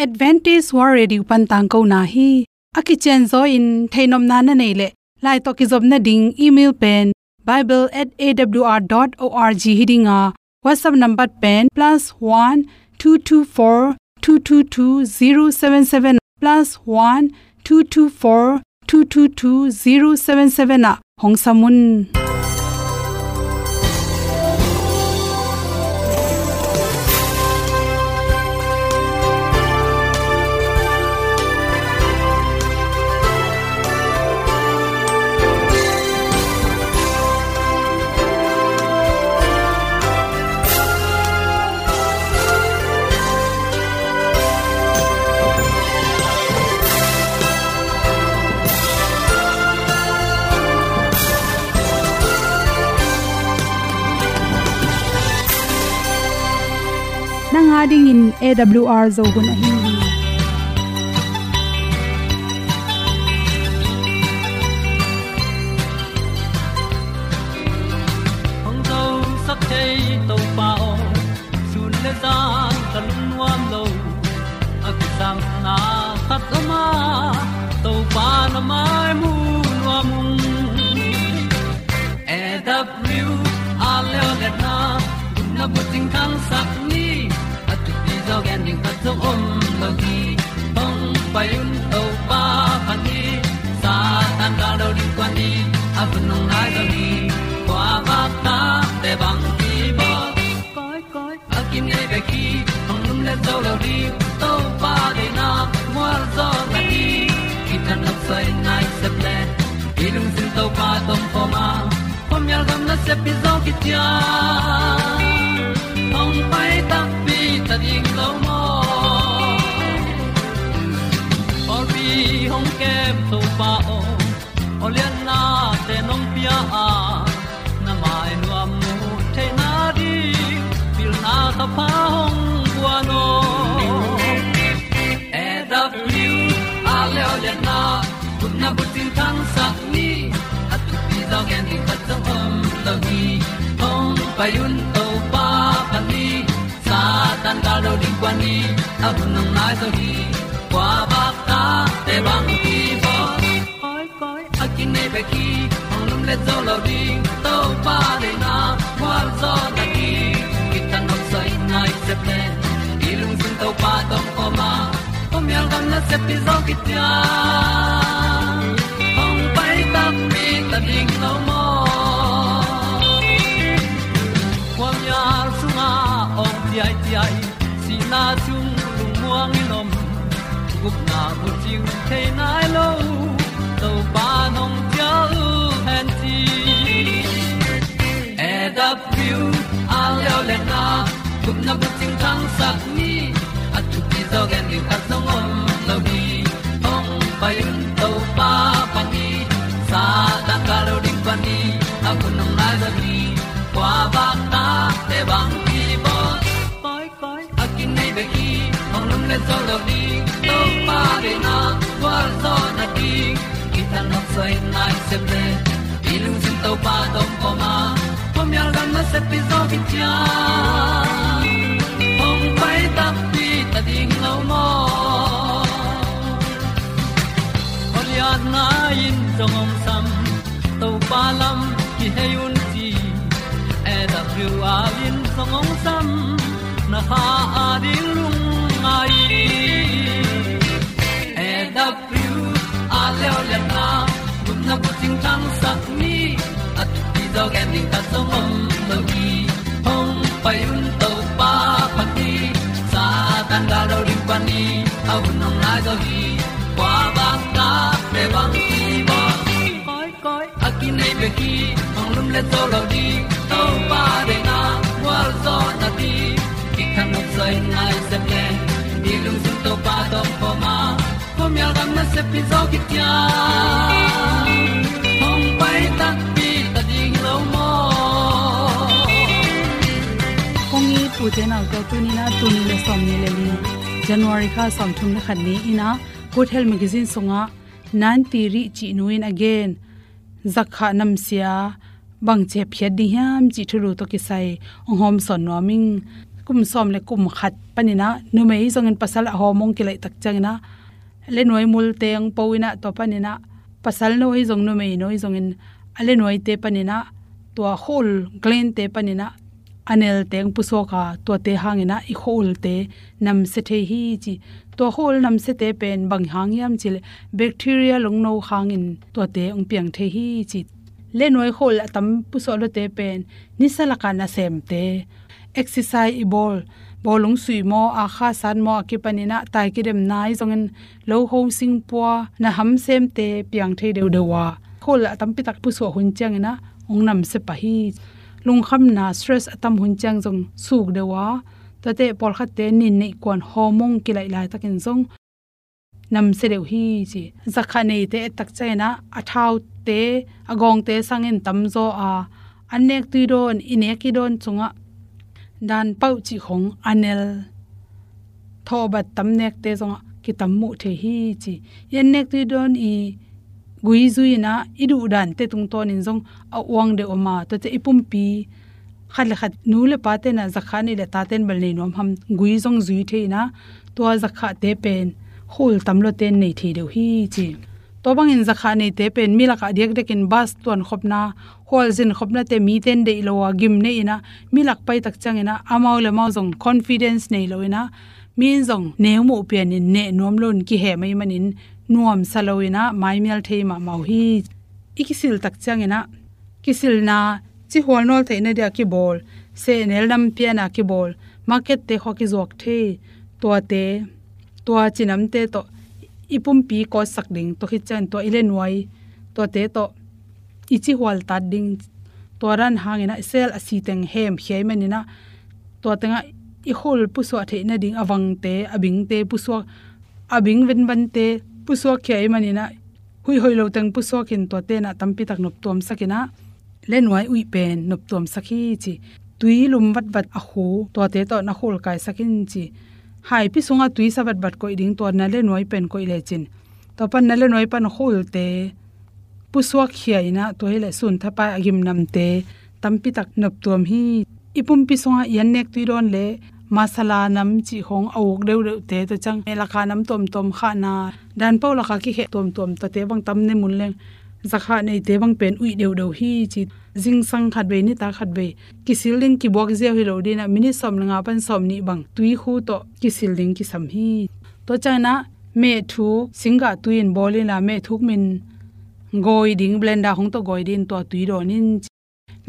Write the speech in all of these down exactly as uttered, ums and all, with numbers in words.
Adventist World Radio pan tangkona hi. A kicianzaw in theihnopna na neih leh, lai tawh kizopna ding email pen bible at A W R dot org hi ding a, WhatsApp number pen plus one two two four two two two zero seven seven, plus one two two four two two two zero seven seven ah hong sam un. Nang a dingin A W R Zo hun ahi hi. Hong zosak thei Topa aw, sun le zan ka lungnuam lo. A kisangna khat om a, Topa na mai mu nuam ung. A W R leo letna, gupna bucing thangsak ni. A thupi zaw gen ding khat zong om lo hi. Hong pai un Topa phat ni. Satan gal do ding kuan ni. A hun hong nai zo hi. Kua bak ta te bang ki bawl. Koi, koi, a kinei bek hi, hong lum le zo lo ding, Topa deihna, mual zaw na ding, kithat nop soi nai sep le, i lungsim Topa tawh om khawm a, khuamial gam nasep hi zaw kician, hong pai takpi ta ding lo maw. Pawlpi hong kem Topa aw, aw liannate nong pia a, na mai nuam mu theihna ding, pilna thapha hong guan aw. A W R leo lianna, gupna bucing thangsak ni, a thupi zaw gen ding khat zong om lo hi. Hong pai un Topa phat ni, Satan gal do ding kuan ni, a hun hong nai zo hi. Kua bak ta te bang ki bawl. Koi, koi, a kinei bek hi, hong lum le zo lo ding, Topa deihna, mual zaw na ding, kithat nop soi nai sep le, i lungsim Topa tawh om khawm a, khuamial gam nasep hi zaw kician, hong pai takpi ta ding lo maw. Khuamial sungah awng ciaiciai, sihna sung lungmuang in om, gupna bucing thei nai lo, Topa nong cial hen ci. A W R leo lianna, gupna bucing thangsak ni, a thupi zaw gen ding khat zong om lo hi. Hong pai un Topa phat ni, Satan gal do ding kuan ni, a hun hong nai zo hi. Kua bak ta te bang ki bawl. Koi, koi, a kinei bek hi, hong lum le zo lo ding, Topa deihna, mual zaw na ding, kithat nop soi nai sep le, i lungsim Topa tawh om khawm a, khuamial gam nasep hi zaw kician, hong pai takpi ta ding lo maw. Aw lianna in zong hong sam, Topa lam kihei un ci, A W R in zong hong sam, na kha a ding lungngai. A W R leo lianna, gupna bucing thangsak ni, a thupi zaw gen ding khat zong om lo hi. Hong pai un Topa phat ni, Satan gal do ding kuan ni, a hun hong nai zo hi. Kua bak ta te bang ki bawl. Koi, koi, a kinei bek hi, hong lum le zo lo ding, Topa deihna, mual zaw na ding, kithat nop soi nai sep le, i lungsim Topa tawh om khawm a, khuamial gam nasep hi zaw kician, hong pai takpi ta ding lo maw. Kong it u te nau te, tuni in a, tul nih le sawmnih le li, January kha sawmthum le khat ni in a, Good Health Magazine sungah Nanti Rih cih nu in a gen, zakkhah namsia bangci hepkhiat ding hiam cih thulu tawh kisai hong hawmsawn nuam ing. kum sawm le kum khat paninah numei zongin pasal a hormone kilaih tak cianginah lenuai multe ang po inah tua paninah pasal no hi zong numei no hi zongin a lenuaite paninah tua khua-ul gland-te paninah a nelte ang pusuak a, tuate hanginah i khua-ulte namsia thei hi ci. Tua khua-ul namsiate pen bang hang hiam cileh bacteria lungno hangin tuate ang piang thei hi ci. Lenuai khua-ul a tam pusuak lote pen nisa lakah nasemte, exercise i bawl, bawlung sui maw, a kha sat maw, a kipaninah tai kidemna hi zongin lo ho singpua na hamsemte piang thei deuhdeuh a, khua-ul a tampitak pusuak hun cianginah hong namsia pah hi. Lungkhamna, stress a tam hun ciang zong suk deuh a, tuate pawlkhatte nin neih kuan hormone kilaih laitakin zong namsia deuh hi ci. Zakha neite et tak cianginah a thaute, a gawngte sangin tamzaw a, an nek tui dawn, i nek i dawn sungah dan pauh cih khong a nel thawhbat tam nekte zongah kitam muh thei hi ci. I an nek tui dawn i gui zui inah i duhdante tungtawnin zong a uang deuh a, ma tuate i pumpi khat le khat nu le pa tenah zakha nei le ta ten bel nei nuam ham, gui zong zui thei inah tua zakhate pen khua-ul tam lote nei thei deuh hi ci. Tua bangin zakha neite pen mi lakah diakdiakin bus tuankhopna, khualzin khopnate miten deih lo a gim nei inah mi lak pai tak cianginah amau le amau zong confidence nei lo inah mi in zong neu muh pianin neh nuam loin kihem ahih manin nuamsa lo inah maimial thei mahmah uh hi. I kisil tak cianginah kisilna, cihual nawl theihna dia kibawl, sehnel nampiana kibawl, markette khua kizuak thei, tuate, tua cinamte tawh i pumpi kawtsak ding, tua khit ciangin tua i lenuai, tuate tawh i cihual tat ding, tua dan hanginah sel a siteng hemkhia ahih maninah tua tengah i khua-ul pusuak theih nading a vangte, a bingte pusuak, a bing venvante pusuak khia ahih maninah huih hoih lo teng pusuakin tua tenah tampitak noptuamsak inah lenuai uih pen noptuamsak hi ci. Tui lum vatvat a khu tuate tawh na khua-ul kaisak in ci. Haipi sungah tui sa vatvat koih ding, tua na lenuai pen koih lecin tua pan na lenuai pan khua-ulte pusuak khia inah tua hileh sun thapai a gimnamte tampitak noptuam hi. I pumpi sungah i an nek tui dawn le masala nam cih khong a uk deuhdeuhte, tua ciang meh laka nam tuamtuam, khahna dan pauh laka kikhe tuamtuam, tuate bang tam ne mun leng zakha neite bang pen uih deuhdeuh hi ci. Zingsang khatvei, nitak khatvei kisil ding, kibuak ziau hi lo dinah minit sawm le nga pan sawm nih bang tui khu tawh kisil ding kisam hi. Tua cianginah mehthuk singgah tui in bawl inla, mehthuk min gawi ding, blender khong tawh gawi ding, tua tui dawn in ci.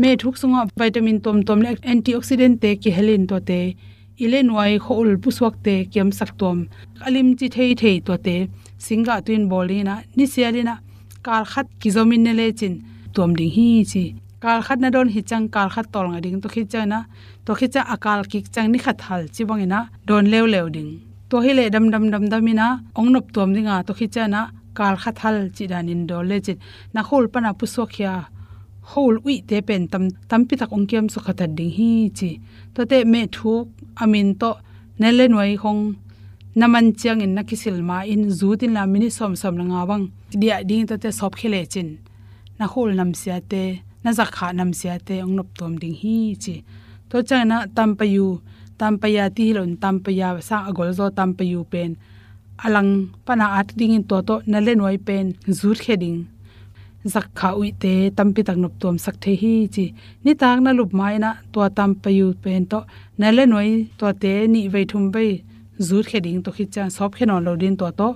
Mehthuk sungah vitamin tuamtuam le antioxidant-te kihel in tuate i lenuai khua-ul pusuakte kiamsak tuam, a limci theithei tuate singgah tui in bawl ding inah nisial inah kal khat kizom in ne lecin tuam ding hi ci. Kal khat na dawn khit ciang kal khat tawlnga ding, tua khit cianginah tua khit ciang a kal kik ciang ni khat hal ci banginah dawn leuleu ding. Tua hileh damdam damdam inah hong noptuam dinga, tua khit cianginah kal khat hal cih danin dawn lecin na khua-ul pana pusuak khia khua-ul uihte pen tam, tampitak hong kiamsuk khatat ding hi ci. Tuate mehthuk a min tawh na lenuai khong na man ciangin na kisil ma-in zut inla minit sawmsawm le nga bang diah ding, tuate sawpkhia lecin na khua-ul namsiate, na zakha namsiate hong noptuam ding hi ci. Tua cianginah tampayu, tampaya ti hi loin tampaya sang a golzaw tampayu pen a lang pana at dingin tua tawh na lenuai pen zutkhia ding, zakha uihte tampitak noptuamsak thei hi ci. Nitak na lup ma-inah tua tampayu pen tawh na lenuai tuate nih vei thum vei zutkhia ding, tua khit ciang sawpkhia nawn lo ding, tua tawh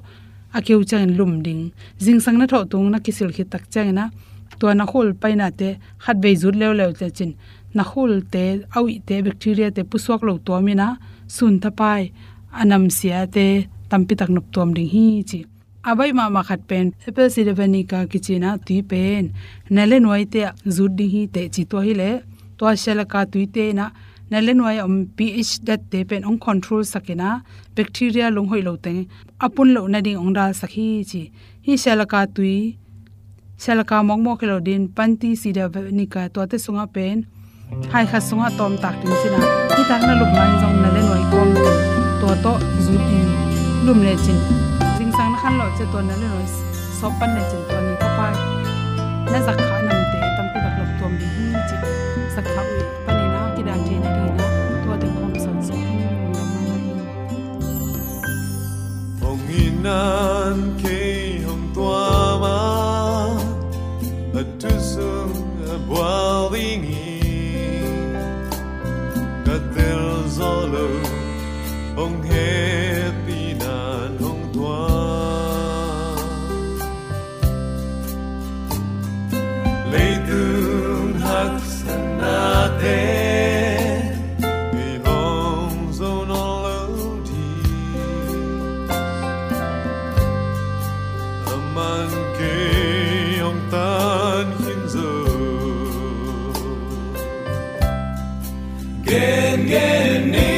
a keu ciangin lum ding. Zingsang na thawh tung na kisil khit tak cianginah tua na khua-ul painate khatvei zut leuleu lecin na khua-ulte a uihte, bacteria-te pusuak lo tuam inah sun thapai a namsiate tampitak noptuam ding hi ci. A baih mahmah khat pen apple cider vinegar kici inah tui pen na lenuaite ah zut ding hi teh ci. Tua hileh tua sialaka tuite inah na lenuai a om pH dat-te pen hong control sak inah bacteria lunghoih lo teng a pun loh nading hong dalsak hi ci. Hih sialaka tui, sialaka mawkmawk hi lo ding, panti cider vinegar, tuate sungah pen hai khat sungah tawmtak ding ci inah, nitak na lup ma-in zong na lenuai kawm tua tawh zut in lum lecin zingsang na khan loh ciang tua na lenuai sawp pan lecin tua ni thapai na zakha namte tampitak noptuam ding hi ci. Zakha uih panin a kidan theih nading inah tua teng hong sawnsuk. Nan kei hong tuam a, a thu sung a bual ding hi. Ka tel zo lo, hong hehpih nan hong tuam. Leitung haksatnate, ei hong zo nawn lo ding. Aman kei hong tan khin zo. Gengen ni,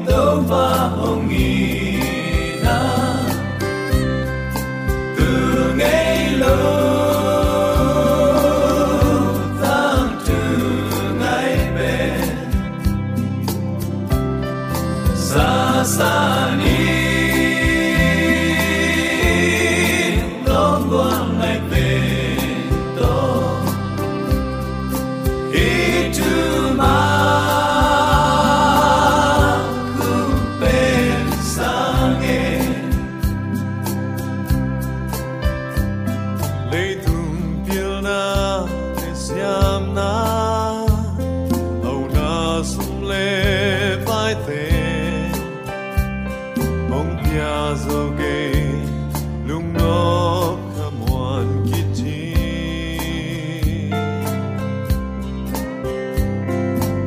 Topa hong itna, tu ngei lo, tangthu ngai pen. Sasa ni, longgual ngai pen tawh, i thu mah khup pen sang e. Leitung pilna le siamna, hauna sum le paite, hong pia zo kei, lungnop khamuan khit hi.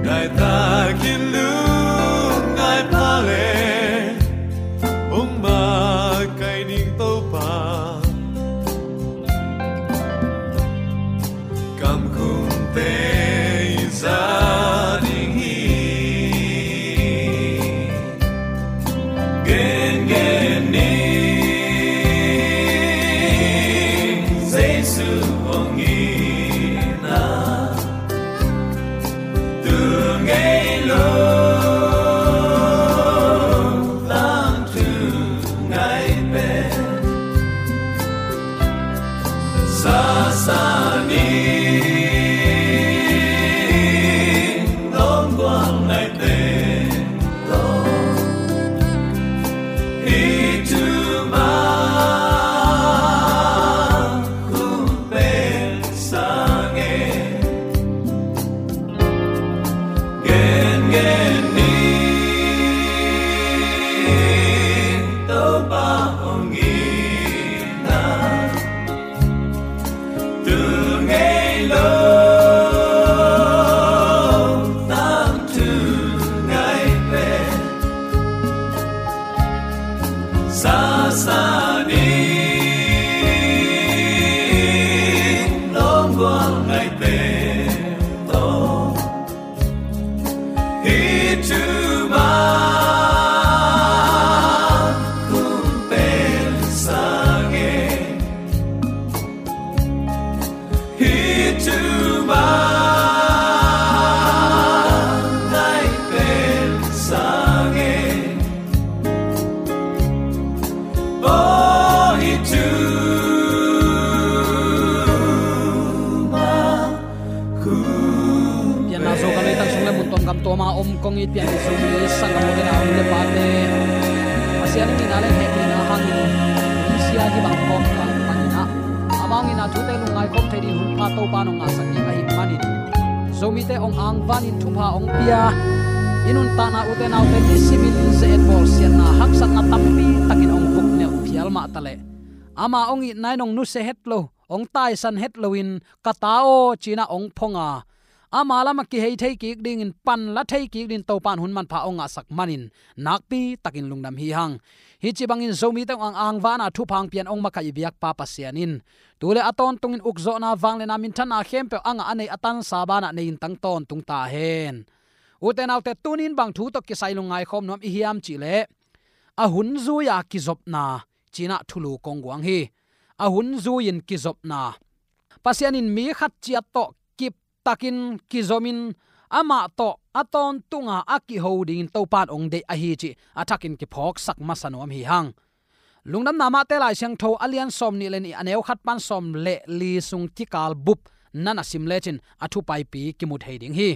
Ngai takin lungngai pha le, hong makaih ding Topa, kamkhumte i za ding hi. Gengen ni, Jesu hong itna, tu ngei lo, tangthu ngai pen. Sasa ni, longgual ngai pen tawh, i thu mah khup pen sang e. Gengen ni, Topa hong itna, tu ngei lo, tangthu ngai pen. Sasa ni, longgual ngai pen tawh, i thu mah khup pen sang e. I thu mah ngai pen sang e. Oh, i thu mah khup pen. Pianna Zo ka leitang sung le mun tuam gam tuam a om kong it pian i Zomi sanggamte, u le nau, nu le pate, Pasian in itna le hehpihna hangin hih sia hih bang kawm kang panin ah, amau in a thute lungngai khawm thei ding hun pha Topa in hong ngahsak ding ahih manin, Zomite hong angvanin thupha hong pia, i nuntakna ute naute nisimin ze-et bawlsiatna haksatna tampi takin hong vuknelh phial mah taleh, ama hong itna in hong nusia het lo, hong taisan het loin, "Ka ta aw," ci-in ah hong phong a, ama lamah kihei thei kik dingin, pan la thei kik dingin Topa in hun manpha hong ngahsak manin, nakpi takin lungdam hi hang. Hih ci bangin Zomite hong ang angvana thupha hong pian hong makaih i biakpa Pasian in tu le a tawntungin ukzawhna, vangliatna, minthanna khempeuh a ngah a nei a tansa banah nei in tang tawntung ta hen. Ute naute, tuni in bang thu tawh kisai lungngai khawm nuam i hiam cih leh, a hun zui-a kizopna ci-in ah thulu kong guang hi. A hun zui-in kizopna. Pasian in mi khat ciat tawh kip takin kizomin, amah tawh a tawntunga a kiho dingin Topa in hong deih ahi cih a thakin kiphawksak masa nuam hi hang. Lungdamna Mate Lai Siangtho a lian sawmnih le nih, a neu khat pan sawm le li sung kikal bup na na sim lecin a thu paipi kimu thei ding hi.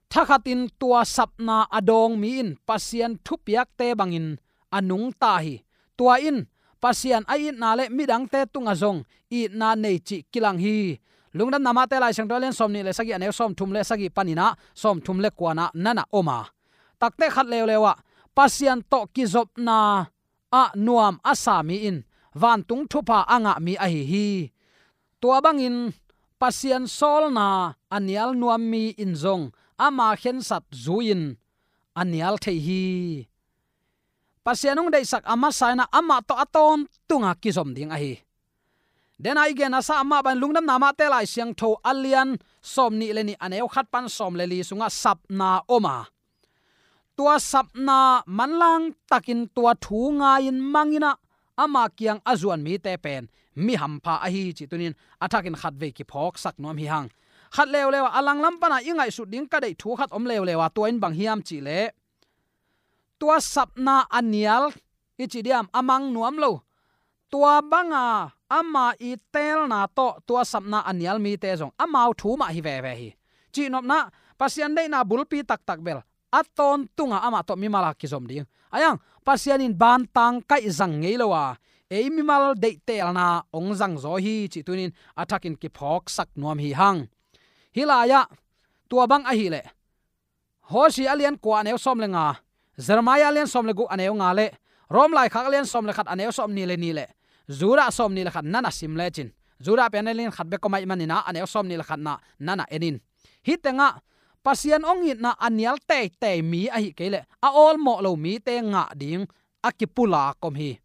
Thakhatin tua sapna a dawng mi in Pasian thupiakte bangin a nungta hi. Tua in Pasian a itna le midangte tungah zong itna nei cih kilang hi. Lungdamna Mate Lai Siangtho a lian sawmnih le sagih, a neu sawmthum le sagih panin ah sawmthum le kuana nana om a, takte khat leuleu ah Pasian tawh kizopna ah nuam a sa mi in vantung thupha a ngah mi ahi hi. Tua bangin Pasian sawlna a nial nuam mi in zong ama khensat zui-in a nial thei hi. Pasian hong deihsak a masa in ah amah tawh a tawntunga kizom ding ahi. Dena i gen a sa amah bang Lungdamna Mate Lai Siangtho a lian sawmnih le nih, a neu khat pan sawm le li sungah sapna om a, tua sapna manlang takin tua thu ngai-in mang in ah ama kiang a zuan mite pen mi hampha ahi cih tunin a thakin khatvei kiphawksak nuam hi hang. Khat leuleu ah a langlam pana i ngaihsut ding ka deih thu khat om leuleu a, tua in bang hiam cih leh tua sapna a nial i ci diam, a mang nuam lo, tua banga ama i teelna tawh tua sapna a nial mite zong amau thu mah hi veve hi. Cihnopna, Pasian deihna bulpi taktak bel a tawntunga amah tawh mimal a kizom ding. Ahi hang Pasian in bantang kaih zang ngei lo a, ei mimal deih teelna hong zangzaw hi cih tunin a thakin kiphawksak nuam hi hang. Hih lai-ah tua bang ahih leh Hosea a lian kua, a neu sawm le nga, Jeremiah a lian sawm le guk, a neu nga le Rom laikhak a lian sawm le khat, a neu sawmnih le nih le Judah sawmnih le khat nana sim lecin, Judah pen a lian khat bek om ahih manin ah a neu sawmnih le khatna nana en in. Hih tengah Pasian hong itna a nial teitei mi ahih kei leh a awlmawh lo mite ngah ding a kipulak om hi.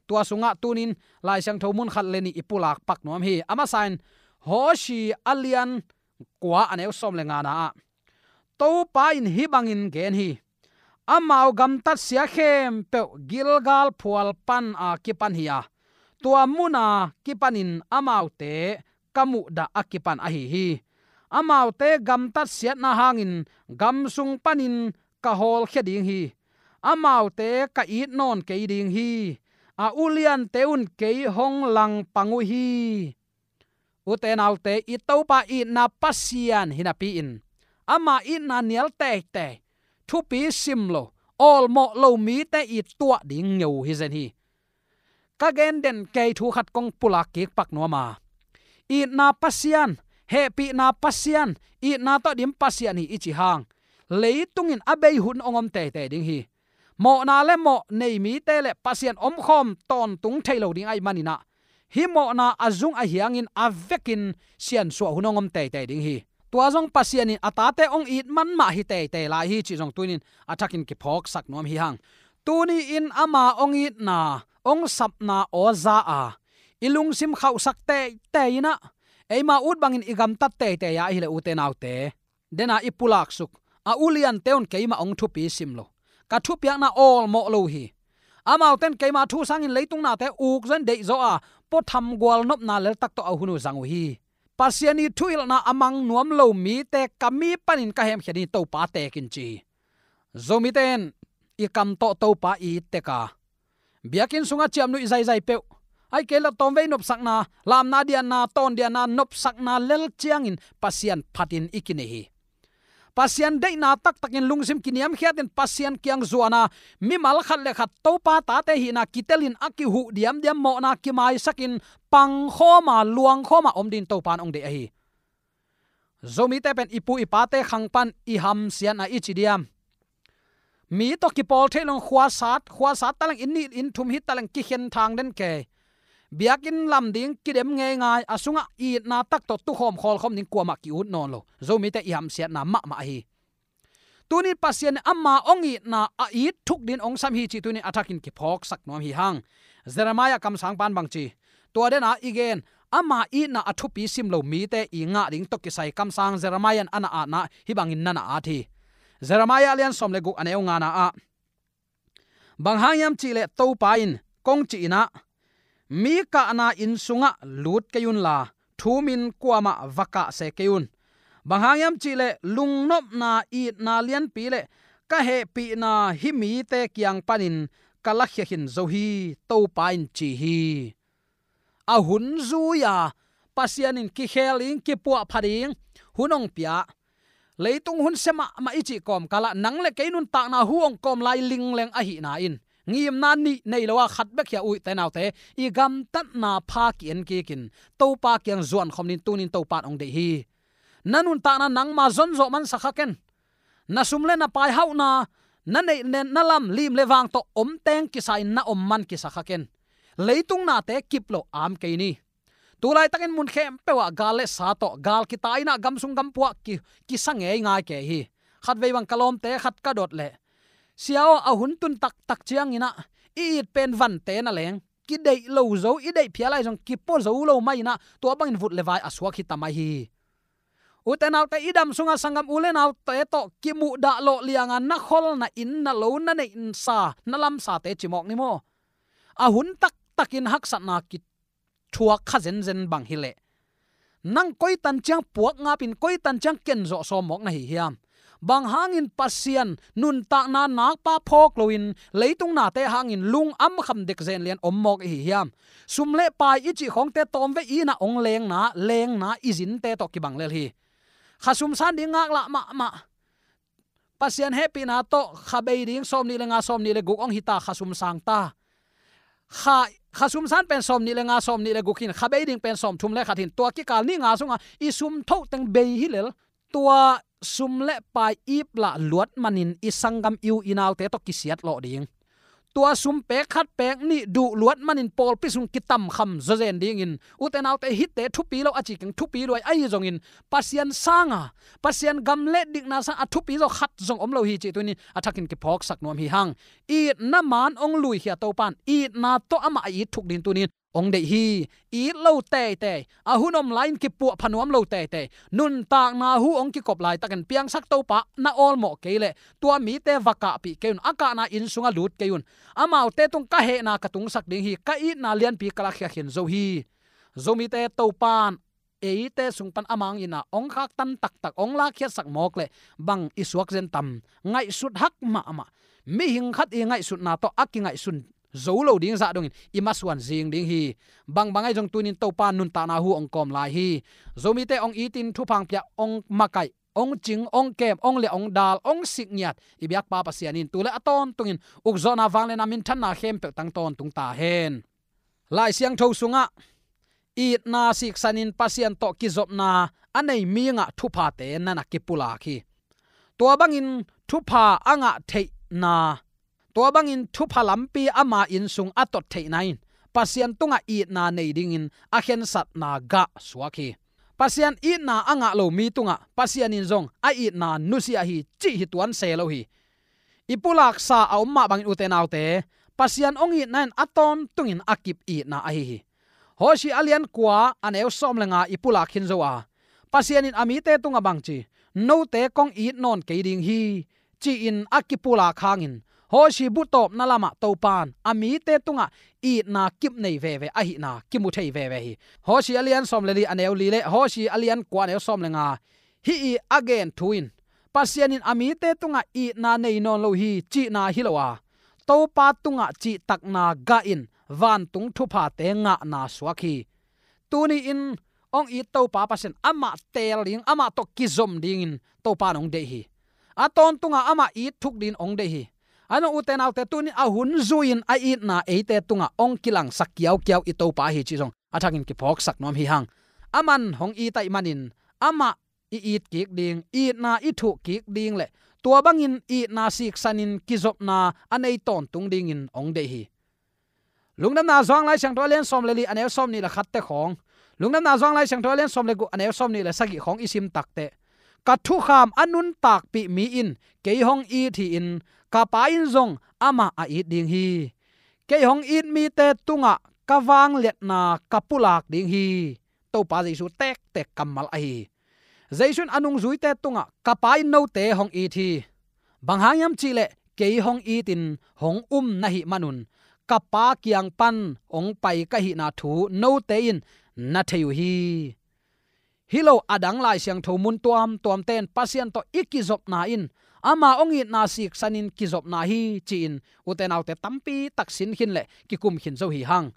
Tua sungah tunin Lai Siangtho mun khat le nih i pulak pak nuam hi. A masa in Hosea a lian kua, a neu sawm le ngana ah, Topa in hih bangin gen hi: Amau gamtatsia khempeuh Gilgal phual pan a kipan hi a, tua muna kipanin amaute ka muhdah a kipan ahi hi. Amaute gamtatsiatna hangin gam sung panin ka hawlkhia ding hi. Amaute ka it nawn kei ding hi. A uliante un kei hong langpang uh hi. Ute naute, i Topa itna Pasian hi napi-in ama itna nial teitei, thupi sim lo, awlmawh lo mite it tuah ding ngeu hi zen hi. Ka gen den kei thu khat kong pulak kik pak nuam a, itna Pasian, hehpihna Pasian, itna tawh dim Pasian hi i ci hang, leitung in a bei hun hong om teitei ding hi. Mawhna le mawh nei mite le Pasian omkhawm tawntung thei lo ding ahih manin ah, hih mawhna a zung a hiangin a vekin siansuah hun hong om teitei ding hi. Tua zong Pasian in a tate hong it man mah hi teitei lai hi cih zong tunin a thakin kiphawksak nuam hi hang. Tuni-in ama hong itna, hong sapna aw za a, i lungsim khauhsak teitei in ah, eima ut bangin i gamtat teitei a ahih leh, ute naute, dena i pulaksuk, a uliante un keimah hong thupi sim lo, ka thupiakna awlmawh lo hi. Amaute in keima thu sangin leitung nate uk zaw in deih zaw a, puatham gualnopna leltak tawh a hun uh zang uh hi. Pasian i thuhilhna a mang nuam lo mite ka mi panin ka hemkhia ding hi, Topa teek in, ci hi. Zomite in i kam tawh Topa i it tek a, biakinn sungah ciamnuih zaizai peuh, ahih kei leh tawmvei nopsakna, lamna dianna, tawndianna, nopsakna lel ciangin Pasian phatin i kinei hi. Pasian deihna taktakin lungsim kiniamkhiatin Pasian kiang zuan a, mimal khat le khat Topa tate hihna kitelin a kihuh diamdiam, mawhna kimaisakin pangkhawm a, luangkhawm a om dingin Topa in hong deih ahi. Zomite pen i pu i pate khang pan i hamsiatna i ci diam, mi tawh kipawl thei lo-in khuasat, khuasat taleng, inn nih inn thum hi taleng kikhen thang den kei, biakinn lam ding kidem ngeingai, a sungah itna tak tawh tukhawm khawlkhawm ding kuamah ki-ut nawn lo. Zomite i hamsiatna mahmah ahi. Tunin Pasian in ama hong itna a it thuk dingin hong sam hi cih tunin a thakin kiphawksak nuam hi hang. Jeremiah kamsang pan bang ci? Tua dena i gen, ama itna a thupi sim lo mite i ngah ding tawh kisai kamsang Jeremiah in a na atna hih bangin na na at hi. Jeremiah a lian sawm le guk, a neu ngana ah, bang hang hiam cih leh Topa in kong cih in ah, mi kahna inn sungah lut kei unla, thumin kuamah va kah se kei un. Bang hang hiam cih leh lungnopna, itna lianpi le ka hehpihna hih mite kiang panin ka lakhia khin zo hi, Topa in ci hi. A hun zui-a Pasian in kikhel ding, kipuahpha ding hun hong pia. Leitung hun sia mahmah i cih kawmkalah nang le kei nuntakna hu hong kawm lai lingleng ahihna in ngimna nih nei lo a khat bek hi a, u te nau te, i gamtatna pha ki-en kikin Topa kiang zuan khawm dingin tunin Topa in hong deih hi. Na nuntakna nangma zonzawh mansak kha ken. Na sum le na pai hauhna, na neih na lam lim le vang tawh om teng kisa in na om man kisa kha ken. Leitung nate kip lo am kei ni. Tulaitakin mun khempeuh ah gal le sa tawh, gal kita in ah gam sung gam pua ah ki, kisa ngeingai kei hi. Khatvei bang ka lawmte khat ka dot leh, "Sia aw, a hun tun taktak ciangin ah i it pen vante na leng kideih lo zo, i deih phial lai zong kipua zo lo mah in ah, tua bangin vut le vai a suak hi ta mai hi." U te nau te, i dam sungah sanggam u le naute tawh kimuhdah lawh lianga na kholna inn, na lo, na neih sa, na lamsate ci mawk ni maw? A hun taktakin haksatna kithuak kha zenzen bang hi leh, nang koi tan ciang puak ngap in, koi tan ciang kenzawh sawm mawk na hi hiam? Bang hangin Pasian nuntakna nakpa phawk loin leitung nate hangin lung am kham dek zen lian om mawk i hi hiam? Sum le pai i cih khawngte tawmvei in ah hong lengna, lengna i zinte tawh kibang lel hi. Kha sum san ding ngaklah mahmah. Pasian hehpihna tawh kha bei ding sawmnih le nga, sawmnih le guk hong hi ta, kha sum sang ta. Kha, kha sum san pen sawmnih le nga, sawmnih le guk hin, kha bei ding pen sawmthum le khat hin, tua kikal ni nga sungah i sum thoh teng bei hi lel. Tua sum le pai ip lah luat manin i sanggam i u i naute tawh kisiat lawh ding. Tua sum pek khat pek nih duh luat manin pawlpi sung kitam kham zawzen dingin, u te nau te, hihte thupi lo a ci keng, thupi luai ahi zongin, Pasian sanga, Pasian gam le dikna sang a thupi zaw khat zong om lo hi cih tunin a thakin kiphawksak nuam hi hang. Itna man hong luikhia Topa in itna tawh amah a it thuk dingin tunin hong deih hi. It lo teitei, a hun om lai-in kipuah pha nuam lo teitei, nuntakna hu hong kikop laitakin piangsak Topa na awlmawh kei leh, tua mite va kahpih kei un, a kahna inn sungah lut kei un. Amaute tung ka hehna ka tungsak ding hi, ka itna lianpi ka lakhia khin zo hi. Zomite Topa in eite sung pan a mang in ah hong khaktan taktak, hong lakkhiatsak mawk leh bang i suak zen tam? Ngaihsut hak mahmah. Mihing khat i ngaihsutna tawh a kingaihsun zo lo ding zah dongin i masuan zing ding hi. Bangbang ahi zong tunin Topa nuntakna hu hong kawm lai hi. Zomite hong itin thupha hong pia, hong makaih, hong cing, hong kem, hong liah, hong dal, hong sikngiat i biakpa Pasian in tu le a tawntungin ukzawhna, vangliatna, minthanna khempeuh tang tawntung ta hen. Lai Siangtho sungah itna siksanin Pasian tawh kizopna a nei mi ngah thuphate na na kipulak hi. Tua bangin thupha a ngah theihna, tua bangin thupha lampi ama inn sung a tot theihna in Pasian tungah itna nei dingin a khensatna gah suak hi. Pasian itna a ngah lo mi tungah Pasian in zong a itna nusia hi cih hi tuan se lo hi. I pulaksa a om mah bangin, u te nau te, Pasian hong itna in a tawntungin a kip itna ahi hi. Hosea a lian kua a neu sawm le nga i pulak khin zo a, Pasian in a mite tungah bang ci? "Note kong it nawn kei ding hi," ci-in a kipulak hangin, Hosea bu tawpna lamah Topa in a mite tungah itna kip nei veve ahihna kimu thei veve hi. Hosea a lian sawm le li a neu li le Hosea a lian kua a neu sawm le nga, hih i a gen thu in Pasian in a mite tungah itna nei nawn lo hi cihna hi lo a, Topa tungah cihtakna gah in vantung thuphate ngahna suak hi. Tuni-in hong it Topa Pasian amah teel ding, amah tawh kizom dingin Topa in hong deih hi. A tawntungah amah it thuk dingin hong deih hi. Ahi zong, u te nau te, tuni-in a hun zui-in a itna eite tungah hong kilangsak kiaukiau i Topa hi cih zong a thakin kiphawksak nuam hi hang. Aman hong it ahih manin amah i it kik ding, itna i thuh kik ding le tua bangin itna siksanin kizopna a nei tawntung dingin hong deih hi. Lungdamna Johan Lai Siangtho a lian sawm le li a neu sawm nih le khatte khawng, Lungdamna Johan Lai Siangtho a lian sawm le guk a neu sawm nih le sagih khawng i sim takteh, "Ka thukham a nuntakpih mi in kei hong it hi-in, ka Pa in zong amah a it ding hi. Kei hong it mite tungah ka vangliatna ka pulak ding hi." Topa Jesu tektek kammal ahi hi. Jesu in a nungzuite tungah, "Ka Pa in note hong it hi. Bang hang hiam cihleh kei hong itin hong um na hih manun ka Pa kiang pan hong pai ka hihna thu note in na thei uh hi." Hi lo a dang Lai Siangtho mun tuamtuamte in Pasian tawh i kizopna in ama hong itna siksanin kizopna hi ci-in, u te nau te, tampi tak sin khin le kikum khin zo hi hang.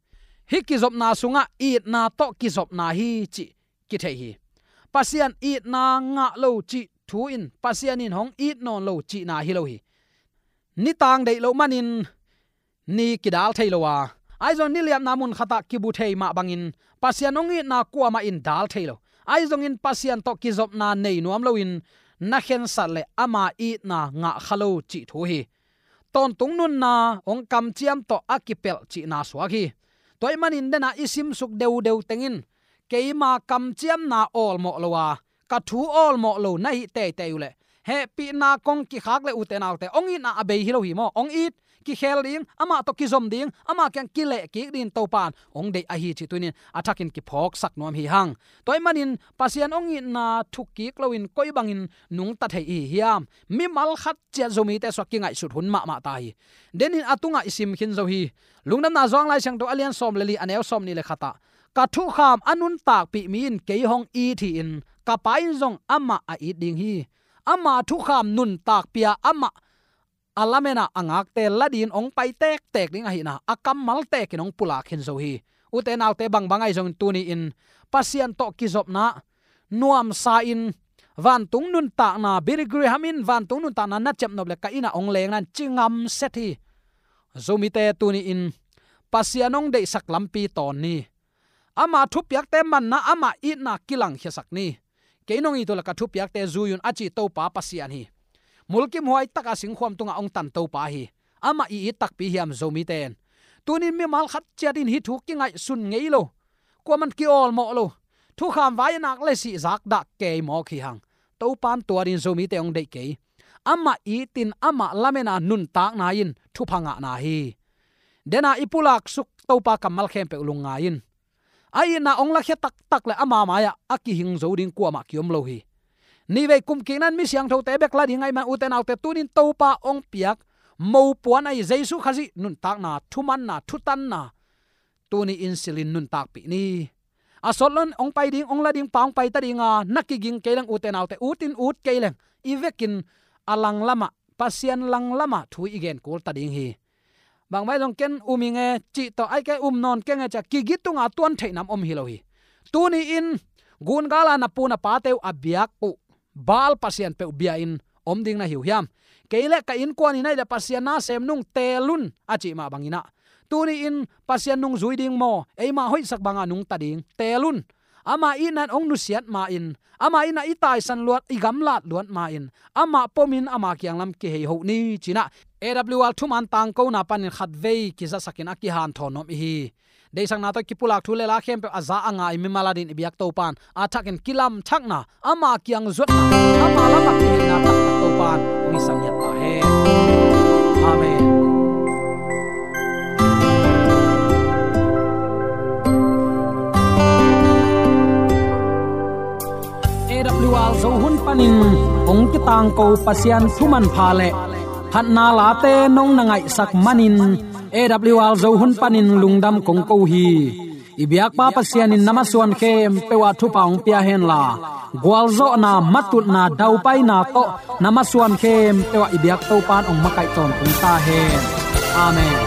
Hih kizopna sungah itna tawh kizopna hi cih kithei hi. Pasian itna ngah lo cih thu in Pasian in hong it nawn lo cihna hi lo hi. Nitang deih loh manin ni kidal thei lo a, ahi zong niliapna mun khatah kibu thei mah bangin Pasian hong itna kuamah in dal thei lo. Ahi zongin Pasian tawh kizopna nei nuam loin na khensat le ama itna ngah kha lo cih thu hi. Tawntung nunna hong kamciam tawh a kipelh cihna suak hi. Tua ahih manin dena i simsuk deudeu tengin keima kamciamna awlmawh lo a, ka thu awlmawh lo na hih teitei uh leh hehpihna kong kikhak le ute naute, hong itna a bei hi lo hi maw? Hong it, kikhel ding, amah tawh kizom ding, amah kiang kileh kik dingin Topa in hong deih ahi cih tunin a thakin kiphawksak nuam hi hang. Tua ahih manin Pasian hong itna thuk kik loin koi bangin nungta thei i hi hiam? Mimal khat ciat Zomite suak kingaihsut hun mahmah ta hi. Denin a tungah i sim khin zo hi. Lungdamna Johan Lai Siangtho a lian sawm le li, a neu sawm nih le khatah, ka thukham a nuntakpih mi in kei hong it hi-in ka Pa in zong amah a it ding hi. Ama thukham nuntakpih a, amah a lamen a a ngakte la dingin hong pai tektek ding ahihna a kammal tekin hong pulak khin zo hi. Ute naute, bangbang ahi zongin tuni-in Pasian tawh kizopna nuamsa in vantung nuntakna, Billy Graham in vantung nuntakna na ciapnop le ka inn ah hong lengna in ci ngamset hi. Zomite, tuni-in Pasian hong deihsak lampi tawn ni. Ama thupiakte manna, ama itna kilangkhiasak ni. Kei nong it uh leh ka thupiakte zui un, a ci Topa Pasian hi. Mulkimhuai taka singkhuam tungah hong tan Topa hi. Amah i it takpi hiam Zomite in? Tunin mimal khat ciat in hih thu kingaihsun ngei lo, kuaman ki-awlmawh lo, thukham vai a nak le sih zakdah kei mawk hi hang. Topa in tua dingin Zomite hong deih kei. Amah itin amah lamen a nuntakna in thupha ngahna hi. Dena i pulaksuk Topa kammal khempeuh lungngai in. A itna hong lakhia taktak le ama mai-ah a kihing zo ding kuamah kiom lo hi. Nihvei kum kikna in mi siangthote bek la ding ahih man, ute naute, tunin Topa hong piak mopuan ahi Jesu Khazih nuntakna, thumanna, thutanna tuni-in silhin nuntakpih ni. A sawt loin hong pai ding, hong la ding pa hong pai ta ding a, na kiging kei leng, ute naute, utin ut kei leng, i vekin a langlamah, Pasian langlamah thu i gen kul ta ding hi. Bangbang zong ken um ing e cih tawh, ai, kei um nawn keng e ci-a kigit tunga tuan theih nam om hi lo hi. Tuni-in gun gala na pu na pate uh a biak uh Baal pasian peuh bia-in om ding na hi uh hiam? Kei le ka innkuan in ahih leh Pasian na sem nung, teel un, a cih mah bangin ah, tuni-in Pasian nungzui ding maw, eima hoihsak banga nungta ding, teel un. Ama itna in hong nusiat ma-in, ama itna i taisan luat, i gamlat luat ma-in, amah pomin ama kiang lam kihei hoh ni, ci-in ah A W R thuman tangkona panin khatvei kizasakin a kihanthawn nuam i hi. Deihsakna tawh kipulak thu le la khempeuh a za a ngai mimal adingin i biak Topa in a thakin kilamthakna, ama kiang zuatna, ama lamah kiheina taktak Topa in hong hisak ngiat ta hen. Amen. A W R Zo hun panin hong kitangko Pasian thu manpha le phatna late nong na ngaihsak manin A W R Zo hun panin lungdam kong ko hi. I biakpa Pasian in na masuan khempeuh ah thupha hong pia henla, gualzawhna, matutna, daupaina tawh na masuan khempeuh ah i biak Topa in hong makaih tawntung ta hen. Amen.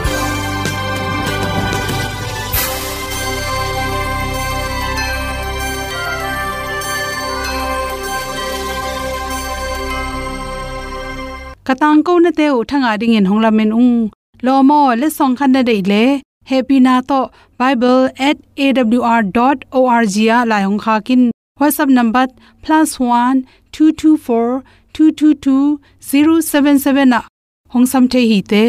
Ka tangkonate uh thangah dingin hong lamen ung. Lawm aw, letsong khat na deih leh, hehpihna tawh bible at A W R dot O R G ah lai hong khak in. WhatsApp number plus one two two four two two two zero seven seven ah hong sam thei hi te.